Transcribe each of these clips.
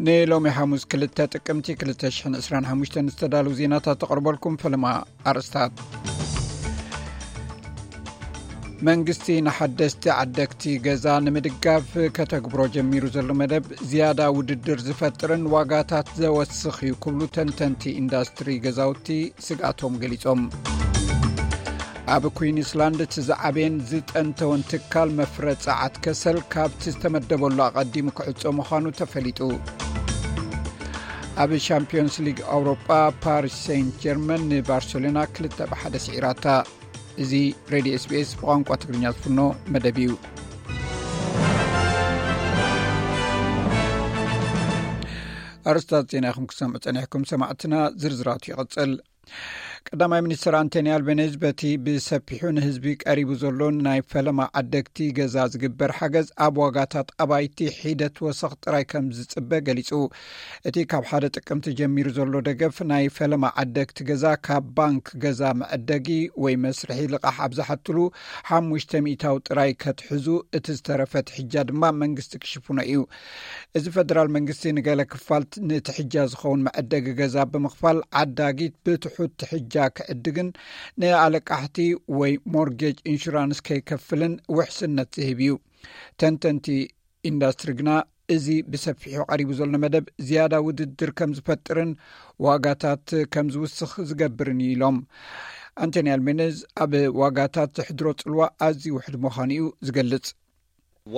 ንሎሚ ሓሙስ ክልተ ጥቅምቲ ክልተ ሽሕን ዕስራን ሓሙሽተን ዝተዳለዉ ዜናታት ተቕርበልኩም። ፈለማ ኣርእስታት። መንግስቲ ንሓደስቲ ዓደግቲ ገዛ ንምድጋፍ ከተግብሮ ጀሚሩ ዘሎ መደብ ዝያዳ ውድድር ዝፈጥርን ዋጋታት ዘወስኽ እዩ ክብሉ ተንተንቲ ኢንዳስትሪ ገዛውቲ ስግኣቶም ገሊጾም። ኣብ ኩዊንስላንድ እቲ ዝዓበየን ዝጠንተወን ትካል መፍረ ጸዓት ከሰል ካብቲ ዝተመደበሉ ኣቐዲሙ ክዕጾ ምዃኑ ተፈሊጡ። ኣብ ሻምፒዮንስ ሊግ ኣውሮጳ ፓሪስ ሴንት ጀርመን ንባርሴሎና ክልተ ብሓደ ስዒራታ። እዚ ሬድዮ ኤስቢኤስ ብቋንቋ ትግርኛ ዝፍኖ መደብ እዩ። ኣርስታት ዜና ኢኹም ክሰምዑ ጸኒሕኩም ሰማዕትና። ዝርዝራቱ ይቕጽል። ቀዳማይ ሚኒስትር ኣንቶኒ ኣልቤኔዝ በቲ ብሰፊሑ ንህዝቢ ቀሪቡ ዘሎ ናይ ፈለማ ዓደግቲ ገዛ ዝግበር ሓገዝ ኣብ ዋጋታት ኣባይቲ ሒደት ወሰኽ ጥራይ ከም ዝጽበ ገሊጹ። እቲ ካብ ሓደ ጥቅምቲ ጀሚሩ ዘሎ ደገፍ ናይ ፈለማ ዓደግቲ ገዛ ካብ ባንክ ገዛ መዐደጊ ወይ መስርሒ ልቓሕ ኣብ ዝሓትሉ ሓሙሽተ ሚእታዊ ጥራይ ከትሕዙ፣ እቲ ዝተረፈ ትሕጃ ድማ መንግስቲ ክሽፍኖ እዩ። እዚ ፈደራል መንግስቲ ንገለ ክፋል ንትሕጃ ዝኸውን መዐደጊ ገዛ ብምኽፋል ዓዳጊት ብትሑት ትሕጃ ክዕድግን ንኣለቃሕቲ ወይ ሞርጌጅ ኢንሹራንስ ከይከፍልን ውሕስነት ዝህብ እዩ። ተንተንቲ ኢንዳስትሪ ግና እዚ ብሰፊሑ ቀሪቡ ዘሎ መደብ ዝያዳ ውድድር ከም ዝፈጥርን ዋጋታት ከም ዝውስኽ ዝገብርን እዩ ኢሎም። ኣንቶኒ ኣልቤኔዝ ኣብ ዋጋታት ዘሕድሮ ጽልዋ ኣዝዩ ውሕድ ምዃኑ እዩ ዝገልጽ።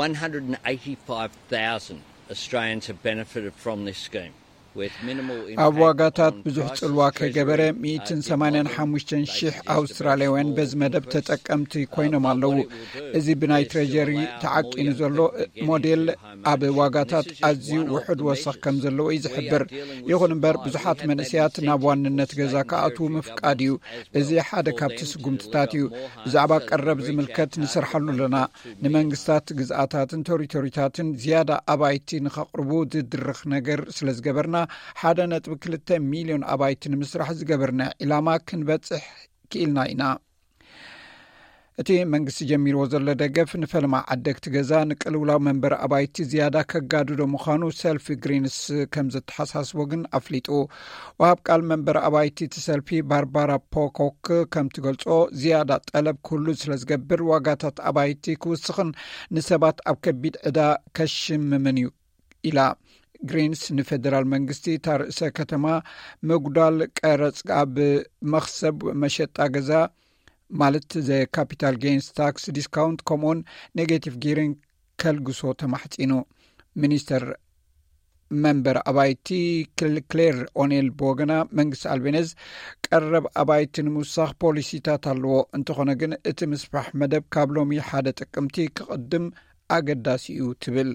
One hundred and eighty-five thousand Australians have benefited from this scheme, with minimal ኣብ impact ዋጋታት on ብዙሕ prices. ጽልዋ ከይገበረ Treasury, uh, ሚእትን did ሰማንያን model. ሓሙሽተን They ሺሕ suggested a very ኣውስትራልያውያን small በዚ መደብ increase. ተጠቀምቲ Uh, ኮይኖም but ኣለዉ። what it will do እዚ ብናይ is to ትሬጀሪ allow ተዓቂኑ more young ዘሎ people to get into ሞዴል home ownership. ኣብ ዋጋታት And this is just ኣዝዩ one of the ውሑድ ወሰኽ measures. ከም ዘለዎ እዩ We are ዝሕብር። dealing with ይኹን እምበር supply. We ብዙሓት have that መንእሰያት ናብ incentive ዋንነት for ገዛ state and ክኣትዉ territory ምፍቃድ እዩ። governments as well እዚ ሓደ for ካብቲ them to ስጉምትታት deliver እዩ። more homes ብዛዕባ and to ቀረብ reach ዝምልከት out to ንሰርሓሉ the ኣለና። market to million ንመንግስታት ግዝኣታትን ቴሪቶሪታትን ዝያዳ ኣባይቲ ንኸቕርቡ ዝድርኽ ነገር ስለ ዝገበርና፣ ሓደ ነጥቢ ክልተ ሚልዮን ኣባይቲ ንምስራሕ ዝገበርና ዒላማ ክንበጽሕ ክኢልና ኢና። እቲ መንግስቲ ጀሚርዎ ዘሎ ደገፍ ንፈለማ ዓደግቲ ገዛ ንቅልውላው መንበሪ ኣባይቲ ዝያዳ ከጋድዶ ምዃኑ ሰልፊ ግሪንስ ከም ዘተሓሳስቦ ግን ኣፍሊጡ። ወሃብ ቃል መንበሪ ኣባይቲ እቲ ሰልፊ ባርባራ ፖኮክ ከም ትገልጾ፣ ዝያዳ ጠለብ ክህሉ ስለ ዝገብር ዋጋታት ኣባይቲ ክውስኽን ንሰባት ኣብ ከቢድ ዕዳ ከሽምምን እዩ ኢላ። ግሪንስ ንፌደራል መንግስቲ እታ ርእሰ ከተማ ምጉዳል ቀረጽ ኣብ መኽሰብ መሸጣ ገዛ ማለት ዘ ካፒታል ጌንስ ታክስ ዲስካውንት ከምኡውን ኔጌቲቭ ጊሪንግ ከልግሶ ተማሕጺኑ። ሚኒስተር መንበር ኣባይቲ ክል- ክሌር ኦኔል ብወገና መንግስቲ ኣልቤነዝ ቀረብ ኣባይቲ ንምውሳኽ ፖሊሲታት ኣለዎ። እንተኾነ ግን እቲ ምስፋሕ መደብ ካብ ሎሚ ሓደ ጥቅምቲ ክቕድም ኣገዳሲ እዩ ትብል።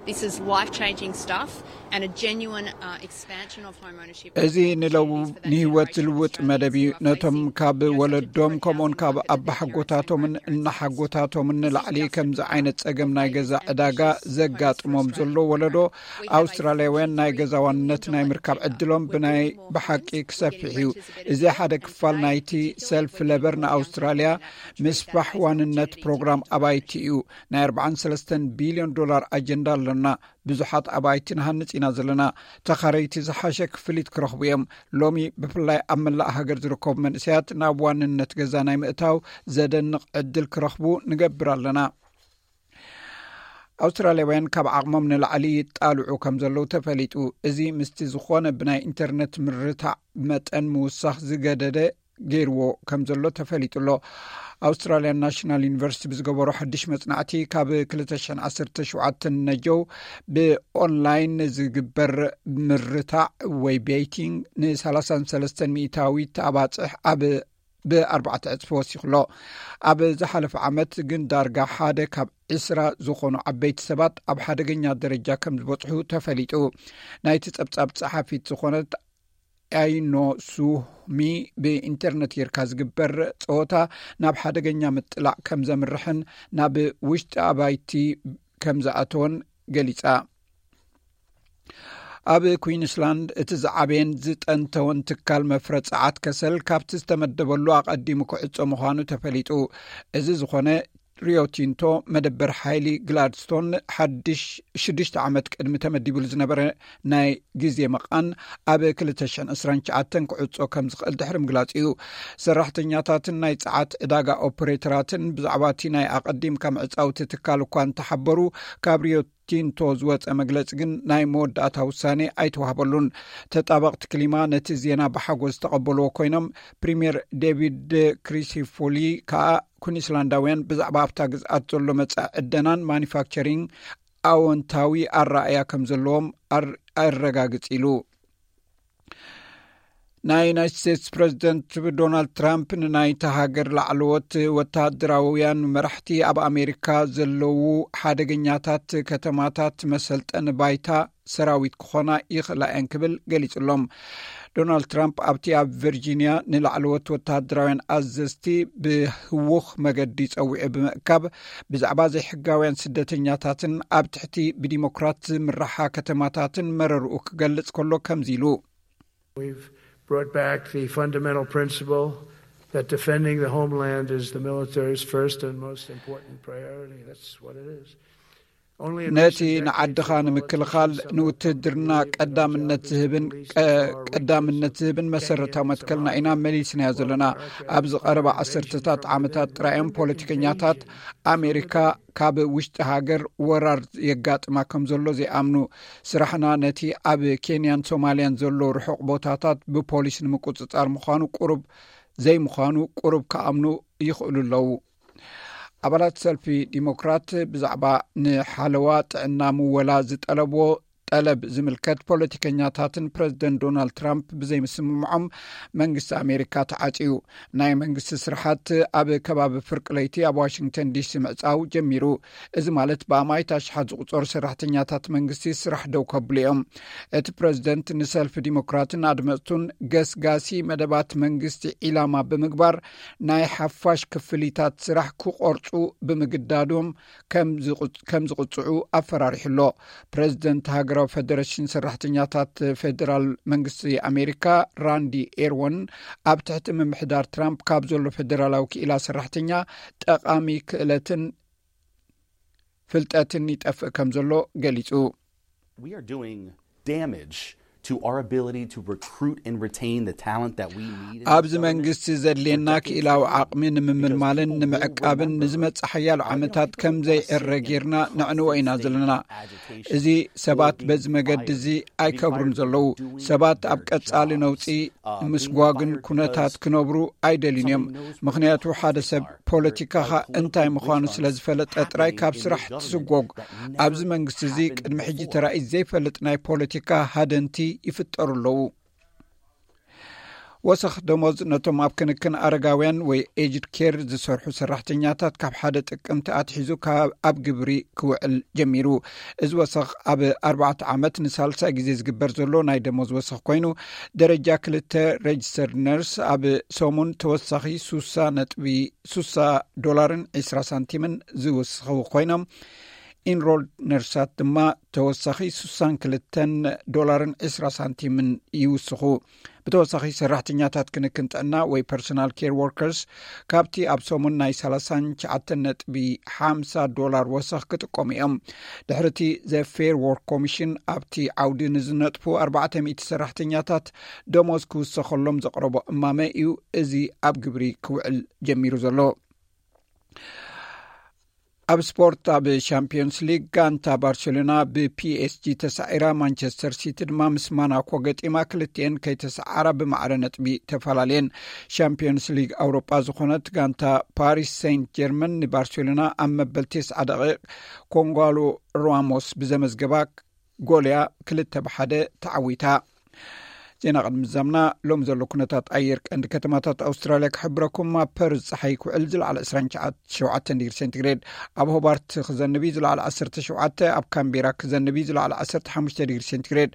This is life changing stuff and a genuine uh, expansion of home ownership. እዚ ንለው Opportunities for that ንህይወት generation of ዝልውጥ መደብ እዩ። who are ነቶም facing ካብ the ወለዶም uncertainty ከምኡን of ካብ whether their parents ኣባሓጎታቶምን and grandparents እናሓጎታቶምን ንላዕሊ ከምዚ ዓይነት ጸገም ናይ ገዛ ዕዳጋ ዘጋጥሞም ዘሎ ወለዶ ኣውስትራልያውያን ናይ ገዛ ዋንነት ናይ ምርካብ ዕድሎም ብናይ ብሓቂ ክሰፍሕ እዩ። እዚ ሓደ ክፋል ናይቲ ሰልፍ ለበር ንኣውስትራልያ ምስፋሕ ዋንነት ፕሮግራም ኣባይቲ እዩ። ናይ ኣርባዓን ሰለስተን ቢልዮን ዶላር ኣጀንዳ ኣሎና። ብዙሓት ኣባይቲ ንሃንጽ ኢና ዘለና። ተኻረይቲ ዝሓሸ ክፍሊት ክረኽቡ እዮም። ሎሚ ብፍላይ ኣብ መላእ ሃገር ዝርከቡ መንእሰያት ናብ ዋንነት ገዛ ናይ ምእታው ዘደንቕ ዕድል ክረኽቡ ንገብር ኣለና። ኣውስትራልያውያን ካብ ዓቕሞም ንላዕሊ ይጣልዑ ከም ዘለዉ ተፈሊጡ። እዚ ምስቲ ዝኾነ ብናይ ኢንተርነት ምርታዕ መጠን ምውሳኽ ዝገደደ ገይርዎ ከም ዘሎ ተፈሊጡ ኣሎ። ኣውስትራልያን ናሽናል ዩኒቨርሲቲ ብዝገበሮ ሓድሽ መጽናዕቲ፣ ካብ ክልተ ሽሕን ዓሰርተ ሸውዓተን ነጀው ብኦንላይን ዝግበር ምርታዕ ወይ ቤቲንግ ን ሰላሳን ሰለስተን ሚእታዊት ኣባጽሕ ኣብ ብኣርባዕተ ዕጽፊ ወሲኹ ኣሎ። ኣብ ዝሓለፈ ዓመት ግን ዳርጋ ሓደ ካብ ዕስራ ዝኾኑ ዓበይቲ ሰባት ኣብ ሓደገኛ ደረጃ ከም ዝበጽሑ ተፈሊጡ። ናይቲ ጸብጻብ ጸሓፊት ዝኾነት ኣይኖ ሱሚ ብኢንተርነት ጌርካ ዝግበር ጸወታ ናብ ሓደገኛ ምጥላዕ ከም ዘምርሕን ናብ ውሽጢ ኣባይቲ ከም ዝኣተወን ገሊጻ። ኣብ ኩዊንስላንድ እቲ ዝዓበየን ዝጠንተወን ትካል መፍረ ጸዓት ከሰል ካብቲ ዝተመደበሉ ኣቐዲሙ ክዕጾ ምዃኑ ተፈሊጡ። እዚ ዝኾነ ሪዮ ቲንቶ መደበር ሓይሊ ግላድስቶን ሓድሽ ሽዱሽተ ዓመት ቅድሚ ተመዲቡሉ ዝነበረ ናይ ግዜ መቓን ኣብ ክልተ ሽሕን ዕስራን ትሽዓተን ክዕጾ ከም ዝኽእል ድሕሪ ምግላጹ እዩ። ሰራሕተኛታትን ናይ ጸዓት ዕዳጋ ኦፕሬተራትን ብዛዕባ እቲ ናይ ኣቐዲምካ ምዕጻው እቲ ትካል እኳ እንተሓበሩ፣ ካብ ሪዮ ቲንቶ ዝወጸ መግለጺ ግን ናይ መወዳእታ ውሳኔ ኣይተዋህበሉን። ተጣበቕቲ ክሊማ ነቲ ዜና ብሓጎስ ዝተቐበልዎ ኮይኖም፣ ፕሪምየር ዴቪድ ክሪሲፎሊ ከኣ ኩንስላንዳውያን ብዛዕባ ኣብታ ግዝኣት ዘሎ መጻኢ ዕደናን ማኒፋክቸሪንግ ኣወንታዊ ኣረኣእያ ከም ዘለዎም ኣር-፣ ኣረጋግጽ ኢሉ። ናይ ዩናይትድ ስቴትስ ፕሬዚደንት ዶናልድ ትራምፕ ንናይታ ሃገር ላዕለዎት ወታደራውያን መራሕቲ ኣብ ኣሜሪካ ዘለዉ ሓደገኛታት ከተማታት መሰልጠኒ ባይታ ሰራዊት ክኾና ይኽእላ እየን ክብል ገሊጹሎም። ዶናልድ ትራምፕ ኣብቲ ኣብ ቨርጂኒያ ንላዕለዎት ወታደራውያን ኣዘዝቲ ብህውኽ መገዲ ጸዊዑ ብምእካብ፣ ብዛዕባ ዘይሕጋውያን ስደተኛታትን ኣብ ትሕቲ ብዲሞክራት ዝምራሓ ከተማታትን መረርኡ ክገልጽ ከሎ ከምዚ ኢሉ። We've brought back the fundamental principle that defending the homeland is the military's first and most important priority. That's what it is. Only a ነቲ recent ንዓድኻ decade has ንምክልኻል ንውትድርና ቀዳምነት ዝህብን ቀ-፣ ቀዳምነት ዝህብን መሰረታዊ መትከልና ኢና መሊስናዮ ዘለና። ኣብዚ ቀረባ ዓሰርተታት ዓመታት ጥራይ እዮም ፖለቲከኛታት ኣሜሪካ ካብ ውሽጢ ሃገር ወራር የጋጥማ ከም ዘሎ ዘይኣምኑ። ስራሕና ነቲ ኣብ ኬንያን ሶማልያን ዘሎ ርሑቕ ቦታታት ብፖሊስ ንምቁጽጻር ምዃኑ ቁሩብ ዘይምዃኑ ቁሩብ ክኣምኑ ይኽእሉ ኣለዉ። ኣባላት ሰልፊ ዲሞክራት ብዛዕባ ንሓለዋ ጥዕና ምወላ ዝጠለብዎ ጠለብ ዝምልከት ፖለቲከኛታትን ፕረዚደንት ዶናልድ ትራምፕ ብዘይምስምምዖም መንግስቲ ኣሜሪካ ተዓጽዩ። ናይ መንግስቲ ስራሓት ኣብ ከባቢ ፍርቂ ለይቲ ኣብ ዋሽንግተን ዲሲ ምዕጻው ጀሚሩ። እዚ ማለት ብኣማኢት ኣሽሓት ዝቑጸሩ ሰራሕተኛታት መንግስቲ ስራሕ ደው ከብሉ እዮም። እቲ ፕረዚደንት ንሰልፊ ዲሞክራትን ኣድመጽቱን ገስጋሲ መደባት መንግስቲ ዒላማ ብምግባር ናይ ሓፋሽ ክፍሊታት ስራሕ ክቆርጹ ብምግዳዶም ከም ዝቑ-፣ ከም ዝቕጽዑ ኣፈራሪሑ ኣሎ። ፕረዚደንት ሃገራዊ ፌደሬሽን ሰራሕተኛታት ፌደራል መንግስቲ ኣሜሪካ ራንዲ ኤርወን ኣብ ትሕቲ ምምሕዳር ትራምፕ ካብ ዘሎ ፌደራላዊ ክኢላ ሰራሕተኛ ጠቓሚ ክእለትን ፍልጠትን ይጠፍእ ከም ዘሎ ገሊጹ። We are doing damage to our ability to recruit and retain the talent that we need in ኣብዚ this government መንግስቲ ዘድልየና ክኢላዊ ዓቕሚ ንምምልማልን ንምዕቃብን ንዝመጽእ ሓያሎ ዓመታት ከም ዘይዕረ ጌርና ነዕንዎ ኢና ዘለና። እዚ ሰባት በዚ መገዲ እዚ ኣይከብሩን ዘለዉ። ሰባት ኣብ ቀጻሊ ነውጺ ምስጓግን ኩነታት ክነብሩ ኣይደልዩን እዮም። ምኽንያቱ ሓደ ሰብ ፖለቲካኻ እንታይ ምዃኑ ስለ ዝፈለጠ ጥራይ ካብ ስራሕ ትስጎግ። ኣብዚ መንግስቲ እዚ ቅድሚ ሕጂ ተራእዩ ዘይፈልጥ ናይ ፖለቲካ ሃደንቲ ይፍጠሩ ኣለዉ። ወሰኽ ደሞዝ ነቶም ኣብ ክንክን ኣረጋውያን ወይ ኤጅድ ኬር ዝሰርሑ ሰራሕተኛታት ካብ ሓደ ጥቅምቲ ኣትሒዙ ካብ ኣብ ግብሪ ክውዕል ጀሚሩ። እዚ ወሰኽ ኣብ ኣርባዕተ ዓመት ንሳልሳይ ግዜ ዝግበር ዘሎ ናይ ደሞዝ ወሰኽ ኮይኑ፣ ደረጃ ክልተ ሬጅስተርድ ነርስ ኣብ ሰሙን ተወሳኺ ሱሳ ነጥቢ ሱሳ ዶላርን ዕስራ ሳንቲምን ዝውስኹ ኮይኖም፣ ኢንሮልድ ነርሳት ድማ ተወሳኺ ሱሳን ክልተን ዶላርን ዕስራ ሳንቲምን ይውስኹ። ብተወሳኺ ሰራሕተኛታት ክንክን ጥዕና ወይ ፐርሶናል ኬር ወርከርስ ካብቲ ኣብ ሰሙን ናይ ሰላሳን ትሽዓተን ነጥቢ ሓምሳ ዶላር ወሰኽ ክጥቀሙ እዮም። ድሕሪ እቲ ዘ ፌር ወርክ ኮሚሽን ኣብቲ ዓውዲ ንዝነጥፉ ኣርባዕተ ሚእቲ ሰራሕተኛታት ደሞዝ ክውሰኸሎም ዘቕረቦ እማመ እዩ እዚ ኣብ ግብሪ ክውዕል ጀሚሩ ዘሎ። ኣብ ስፖርት፣ ኣብ ሻምፒዮንስ ሊግ ጋንታ ባርሴሎና ብፒኤስጂ ተሳዒራ፣ ማንቸስተር ሲቲ ድማ ምስ ማናኮ ገጢማ፣ ክልቲኤን ከይተሰዓራ ብማዕረ ነጥቢ ተፈላለየን። ሻምፒዮንስ ሊግ ኣውሮጳ ዝኾነት ጋንታ ፓሪስ ሴንት ጀርመን ንባርሴሎና ኣብ መበል ተስዓ ደቂቕ ኮንጓሎ ራሞስ ብዘመዝገባ ጎል እያ ክልተ ብሓደ ተዓዊታ። ዜና ቅድሚ ምዛምና፣ ሎም ዘሎ ኩነታት ኣየር ቀንዲ ከተማታት ኣውስትራልያ ክሕብረኩም። ኣብ ፐርዝ ጸሓይ ክውዕል ዝለዓለ ዕስራን ሸውዓተን ዲግሪ ሴንቲግሬድ፣ ኣብ ሆባርት ክዘንብ እዩ ዝለዓለ ዓሰርተ ሸውዓተ፣ ኣብ ካምቤራ ክዘንብ እዩ ዝለዓለ ዓሰርተ ሓሙሽተ ዲግሪ ሴንቲግሬድ፣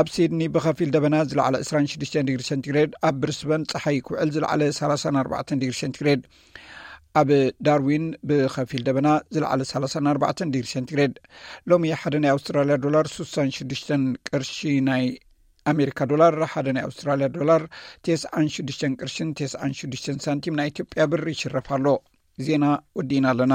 ኣብ ሲድኒ ብኸፊል ደበና ዝለዓለ ዕስራን ሽዱሽተን ዲግሪ ሴንቲግሬድ፣ ኣብ ብሪስበን ጸሓይ ክውዕል ዝለዓለ ሰላሳን ኣርባዕተን ዲግሪ ሴንቲግሬድ፣ ኣብ ዳርዊን ብኸፊል ደበና ዝለዓለ ሰላሳን ኣርባዕተን ዲግሪ ሴንቲግሬድ። ሎሚ ሓደ ናይ ኣውስትራልያ ዶላር ሱሳን ሽዱሽተን ቅርሺ ናይ ኣሜሪካ ዶላር፣ ሓደ ናይ ኣውስትራልያ ዶላር ተስዓን ሽዱሽተን ቅርሽን ተስዓን ሽዱሽተን ሳንቲም ናይ ኢትዮጵያ ብር ይሽረፍ ኣሎ። ዜና ወዲእና ኣለና።